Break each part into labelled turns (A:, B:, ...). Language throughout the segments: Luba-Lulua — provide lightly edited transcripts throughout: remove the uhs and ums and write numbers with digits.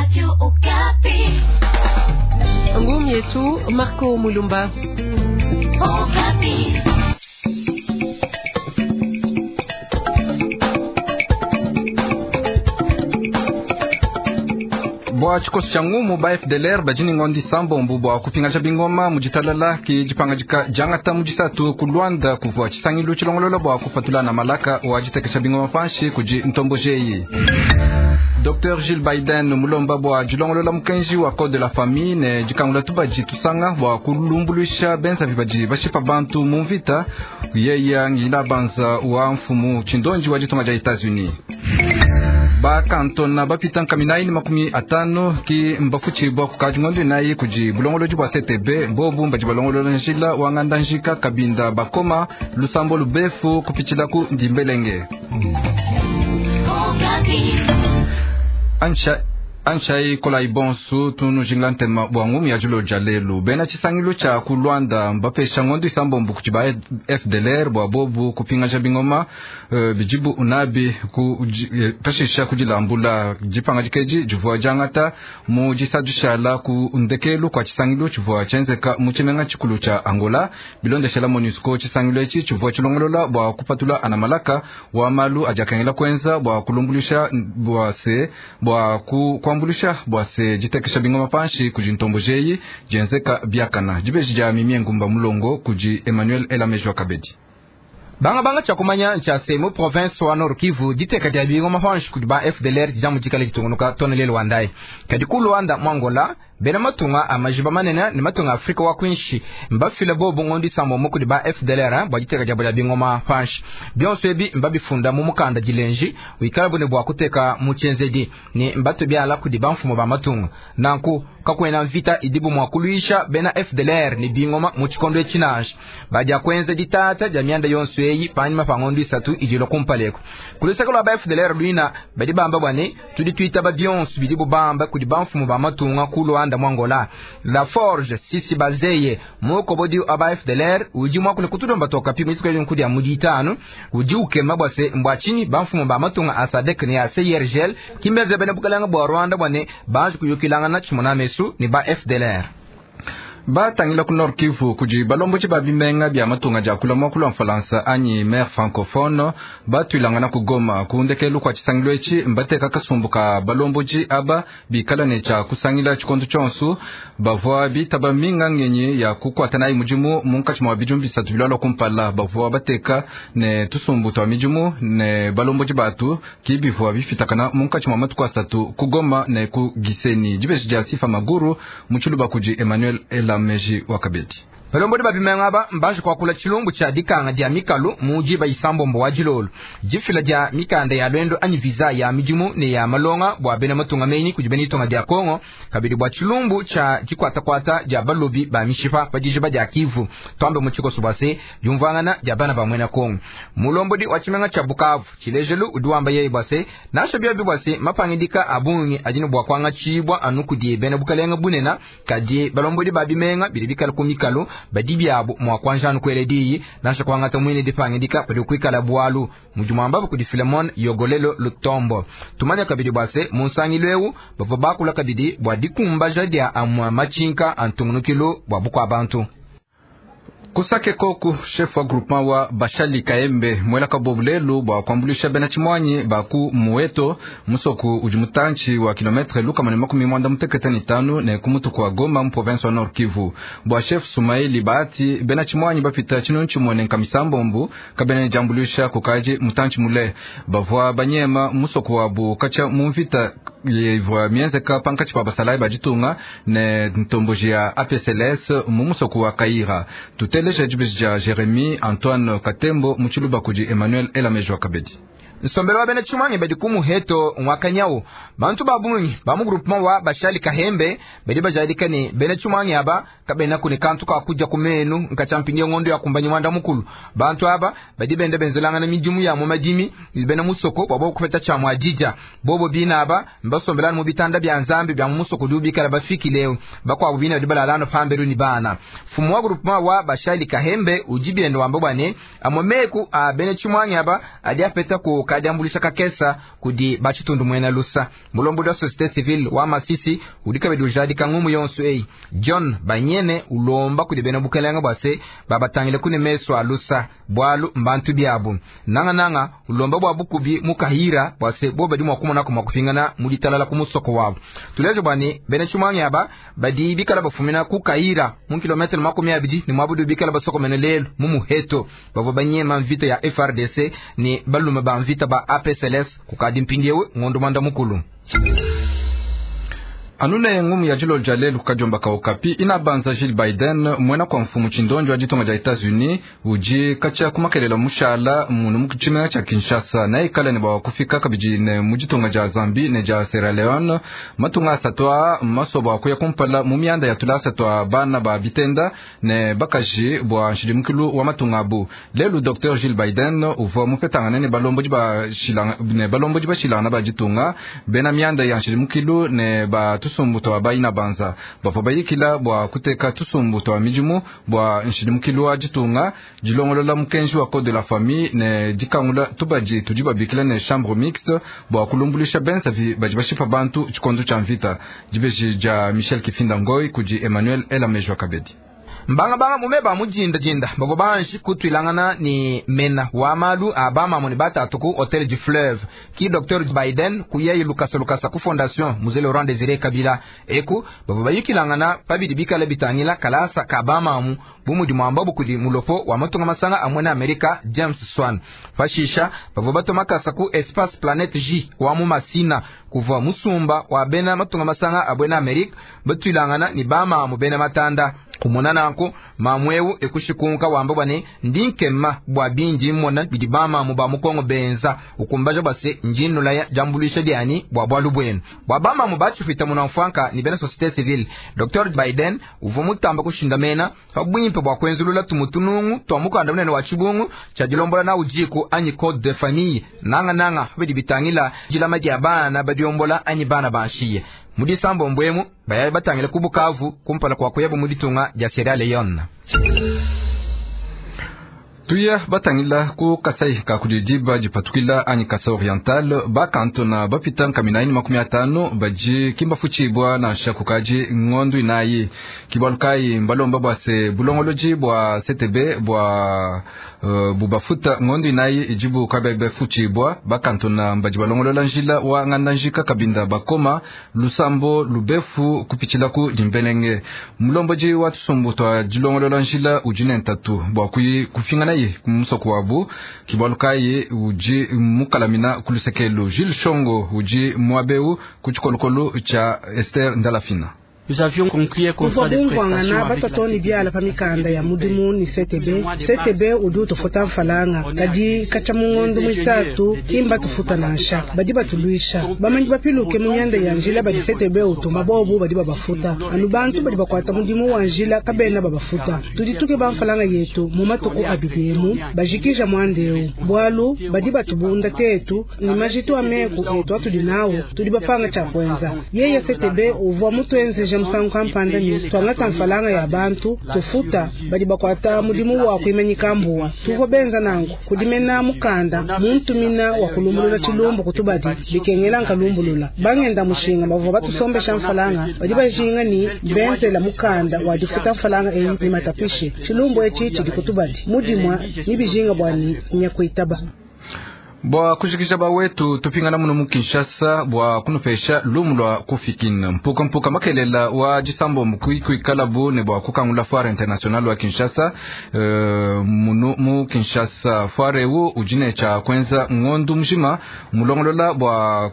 A: Radio Okapi.
B: Ngumi yetu Marco Mulumba.
A: Okapi.
C: Bua tshikoso tshia ngumu ba FDLR badi ne ngondo isambombo bua kupingaja bingoma mu ditalala ke dipangadika diangata mu disatu ku Luanda kuvua tshisangilu tshilongolola bua kupatula na malaka wa ditekesha bingoma panshi kudi ntomboji eyi. Dr Jill Biden mulomba bua dilongolola mukenji wa code de la famille ne dikangula tubadi tusanga bua kulumbuluisha benzavi badi bashipa bantu mu mvita yeya ngila banza wa mfumu tshindonji wa ditunga dia Etats-Unis. Bakantona bapita nkaminayi ne 50 ki mbafutshibua kukadi ngondo inayi kudi bulongolodi bua CTB bobu badi balongolola njila wa nganda njika Kabinda bakoma lusambo lubefu kupitshila ku Ndimbelenge.
A: Okapi.
C: Ancha anchai kolai bonsu tunujingila ntema bua ngumu ya dilo dia lelu bena tshisangilu tshia ku Luanda mbapesha ngondo isambombo kudi ba FDLR bua bobu kupingaja bingoma bidibu unabi ku pashisha kudilambula dipangadika edi divua diangata mu disadishala ku ndekelu kua tshisangilu tshivua tshienzeka mu tshimenga tshikulu tshia Angola bilondeshela MONUSCO. Tshisangilu etshi tshivua tshilongolola bua kupatula anamalaka wa malu adi akengela kuenza bua kulumbuluisha bua se bua ku kuambuluisha bua se ditekesha bingoma panshi kudi ntomboji eyi dienzeka biakana. Dibeji dia Mimie Ngumba Mulongo kudi Emmanuel Elamejo Kabedi.
D: Banga banga tshia kumanya ntshia se mu province wa Nord Kivu diteka dia bingoma panshi kudi ba FDLR dia mudikale ditungunuka too ne lelu wa ndayi. Kadi ku Luanda mu Angola bena matunga a majiba manene ne matunga a Afrika wa kuinshi mbafile bobu ngondo isambombo kudi ba FDLR bua diteka diabo dia bingoma panshi. Bionso ebi mbabifunda mu mukanda dilenji wikala bune bua kuteka mu tshienzedi ne mbatue biala kudi bamfumu ba matunga. Nanku kakuena mvita idibu mua kuluisha bena FDLR ne bingoma mu tshikondo etshi nansha. Badia kuenza ditata dia mianda yonso eyi panyima pa ngondo isatu idi ilua kumpala eku. Ku luseke lua ba FDLR luina badi bamba bua ne tudi tuitaba bionso bidibu bamba kudi bamfumu ba matunga ku Luanda mu Angola. La Forge Sisi Bazeye mukobodi wa ba FDLR udi muakule kutulomba tokapi mu dituku edi dia mu ditanu udi ukema bua se mbua tshinyi bamfumu ba matunga a SADC ne a CIRGL ki mbenze bena bukalenge bua Rwanda bua ne banji kuyukilangana tshimona mesu ne ba FDLR.
C: Batangila ku Nord Kivu kudi balomboji ba bimenga bia matunga dia kula muakulu wa Mfalansa anyi maire francophone batuilangana ku Goma ku ndekelu kua tshisangilu etshi mbateka kasumbu ka balomboji aba bikala ne tshia kusangila tshikondo tshionso bavua bitaba minga ngenyi ya kukuata nayi mudimu munkatshi mua bidimu bisatu bilualua kumpala. Bavua bateka ne tusumbu tua midimu ne balomboji batu ki bivua bifitakana munkatshi mua matuku asatu ku Goma ne ku Gisenyi. Dibeji dia Sifa Maguru mu tshiluba kudi Emmanuel Elameji wa Kabedi.
D: Balombodi ba bimenga aba mbanji kuakula tshilumbu tshia dikanga dia mikalu mu diba isambombo wa dilolo. Difila dia mikanda ya lwendo anyi visa ya midimu ne ya malonga bua bena matunga menyi kudi bena itonga dia Kongo, kabidi bua tshilumbu tshia dikuatakuata dia balobi ba mishipa pa dijiba dia Kivu. Tuambe mu tshikoso bua se diumvuangana dia bana ba muena Kongo. Mulombodi wa tshimenga tshia Bukavu tshilejelu udi wamba yeye bua se nansha biobi bua se mapangidika a bungi adi ne bua kuangatshibua anu kudi bena bukalenge bunene, kadi balombodi ba bimenga bidi bikala ku mikalu badi biabo mua kuanjanu kuela diyi nansha kuangata muine dipangidika padi kuikala bualu mudi muambabu kudi Philemon Yogolelo Lutombo. Tumanya kabidi bua se mu nsangilu eu bavua bakula kabidi bua dikumbaja dia amua matshinka a ntungunukilu bua bukua bantu.
C: Kusake koku chef wa groupement wa Bashali Kaembe mwela kabobu lelu bua kuambuluisha bena tshimuanyi ba ku Mueto musoku udi mutantshi wa kilometre 185 ne ku mutu kua Goma mu province wa Nord Kivu. Bua chef Sumaili Bahati bena tshimuanyi bapita tshinunu tshimue ne nkamisambombo kabena ne diambuluisha kukaji mutantshi mule bavua banyema musoku wabu katshia mu mvita ivua mienzeka pankatshi pa basalayi ba ditunga ne ntomboji ya APCLS mu musoku wa Kaira. Tuteleja dibeji dia Jeremie Antoine Katembo mu tshiluba kudi Emmanuel Elamejo Kabedi.
D: Nsombelo wa bena tshimuangi badi ku muheto nwakanyau bantu ba bungi ba mu groupement wa Bashali Kahembe badi bajadika ne bena tshimuangi aba kabena kune kantu ka kudia ku menu nkatshampinge ngondo ya kumbanyi mwanda mukulu. Bantu aba badi benda benzelangana midimu ya mu madimi bena musoko bua bobo kupeta tshia muadija. Bobo bina aba mbasombelana mu bitanda bia nzambi bia mu musoko udi bikala bafikile bakuabu bina badi balalana pambelu ni bana. Mfumu wa groupement wa Bashali Kahembe udi bienda wamba bua ne amwe meku a bena tshimuangi aba adi apeta ku ka diambuluisha kakesa kudi ba tshitundu muena lusa. Mulombodi wa societe civile wa Masisi udi kabidi ujadika ngumu yonso eyi. John Banyene ulomba kudi bena bukelenge bua se babatangile ku ne mesu a lusa, bualu mbantu biabu. Nangananga ulomba bua bukubi mu Kahira bua se bo badi mua kumonaku mua kupingana mu ditalala ku musoko wabu. Tuleje bua ne bena tshimuangi aba badi bikala bafumina ku Kahira mu kilometre 20 ne muabu bikala basokomene lelu mu Muheto. Bavua banyema mvita ya FRDC ne balume ba mvita ba APCLS kukadi mpindiewu ngondo mwanda mukulu.
C: Anune ngumu ya jilo ja lelu kajomba ka Okapi inabanza Jill Biden mwena kwa mfumu chindonjo wa ditonga ja Etats-Unis uji kacha kumakelela mushala munu mukichimena cha Kinshasa na ikala ne bwa kufika kabidi ne mujitonga ja Zambie ne ja Sierra Leone matunga asatwa masoba kuya kumpala mu mianda ya tulasa twa bana ba bitenda ne bakaji bwa nshidimukilu wa matunga abu. Lelu Dr Jill Biden uvua mupetangana ne balomboji ba shilanga ne balomboji ba shilanga ba ditunga bena mianda ya nshidimukilu ne ba tusumbu twa baina banza bavua bayikila bua kuteka tusumbu twa midimu bua nshidimukilu wa ditunga dilongolola mukenji wa code de la famille ne dikangula tubadi tudi babikila ne chambre mixte bua kulumbulisha bensavi badi bashipa bantu tshikondo tshia mvita. Dibeji dia Michel Kifinda Ngoi kudi Emmanuel Elamejwa Kabedi.
D: Mbanga banga mumeba mujinda jinda babo banji kutwilangana ni mena wa malu abama mu batatu ku Hotel du Fleuve ki Dr Biden kuyeyi lukasa lukasa ku fondation Mzee Laurent Désiré Kabila eku babo bayikilangana pabidi bikala bitangila kalasa kabama mu bumudi mwamba bukudi mulopo wa matunga masanga amwena Amerika James Swan fashisha babo batomakasa ku Espace Planète J wa mu Masina kuva musumba wa bena matunga masanga abwena Amerika batwilangana ni bama mu bena matanda kumona nanku mamwewu ekushikunka wamba bwane ndi nkema bwa bindi mmona bidi bamamu ba mukongo benza ukumbaja base njinula ya jambulisha dyani bwa bwalu bwenu bwa bamamu bachifita munamfwanka ni bena société civile. Dr Biden uvua mutamba kushindamena pa bwimpe bwa kwenzulula tumutunungu twa mukanda munene wa chibungu cha dilombola na ujiku anyi code de famille nanga nanga bidi bitangila jilama dia bana badiombola anyi bana banshiye mudisambo mbwemu bayaye batangile kubukavu kumpala kwa kuyabu muditunga dia Sierra Leone.
C: Tuya batangila ku Kasai ka kudidiba dipatukila anyi Kasai Oriental bakantona bapita nkaminaini 50 baji kimbafuchibwa na shakukaji ngondu inayi kibalukai mbalomba bwa se bulongoloji bwa CTB bwa bubafuta ngondu inayi ijibu kabebe fuchibwa bakantona mbaji balongolola njila wa ngandanjika kabinda bakoma lusambo lubefu kupichila ku dimbelenge mulomboji wa tusumbu twa dilongolola njila ujine ntatu bwa kufingana kumusoko wabu kibalukai uji mukalamina kulusekelu Jules Shongo uji mwabeu kuchikolokolo cha Esther Ndalafina.
E: Kuva bumvwangana batatoni byala pa mikanda ya mudimu ni CTB. CTB udi utufuta mfalanga kadi kacha mungondo mwisatu kimba tufuta nansha badi batulwisha bamanyi bapiluke mu myanda ya njila badi CTB utuma bobu badi babafuta anu bantu badi bakwata mudimu wa njila kabena babafuta tudituke ba mfalanga yetu mu matuku abidemu bajikija mwandeu bwalu badi batubunda tetu ni majitu ameku etu atudi nawo tudi bapanga cha kwenza yeye CTB uvwa mutwenzeja musangu kampanda ni twangata mfalanga ya bantu tufuta badi bakwata mudimu wa kuimanyika mbuwa tuvwa benza nangu kudimena mukanda muntumina wa kulumbulula chilumbu kutubadi bikengela nkalumbulula bangenda mushinga bavwa batusombesha mfalanga badi bajinga ni benzela mukanda wa difuta mfalanga eyi ni matapishe chilumbu echi chidi kutubadi mudimwa ni bijinga bwani nyakuitaba.
C: Bwa kushikisha bawetu tupingana muno mu Kinshasa bwa kunupesha lumu lwa kufikina mpuka mpuka makelela wa jisambo mkuikalabu ne bwa kukangula foire international wa Kinshasa muno mu Kinshasa foire wu ujine cha kwenza ngondu mjima mulongolola bwa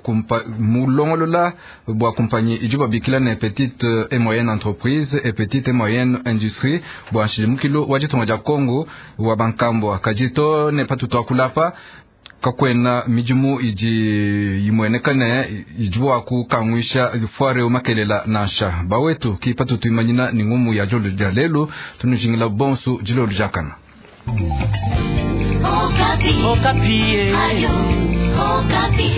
C: mulongolola bwa kumpanyi ijuba bikila ne petite et moyenne entreprise et petite et moyenne industrie bwa nshimukilo wa jitonga ja Kongo wa bankambo kajito ne patuto kulapa kakwena midimu idi imwenekane idiwa kukangwisha foire umakelela nansha bawetu kipatu tuimanyina ni ngumu ya jolo ja lelu tunujingila bonsu jilolu jakana.
A: Okapi. Okapi. Ayo, Okapi.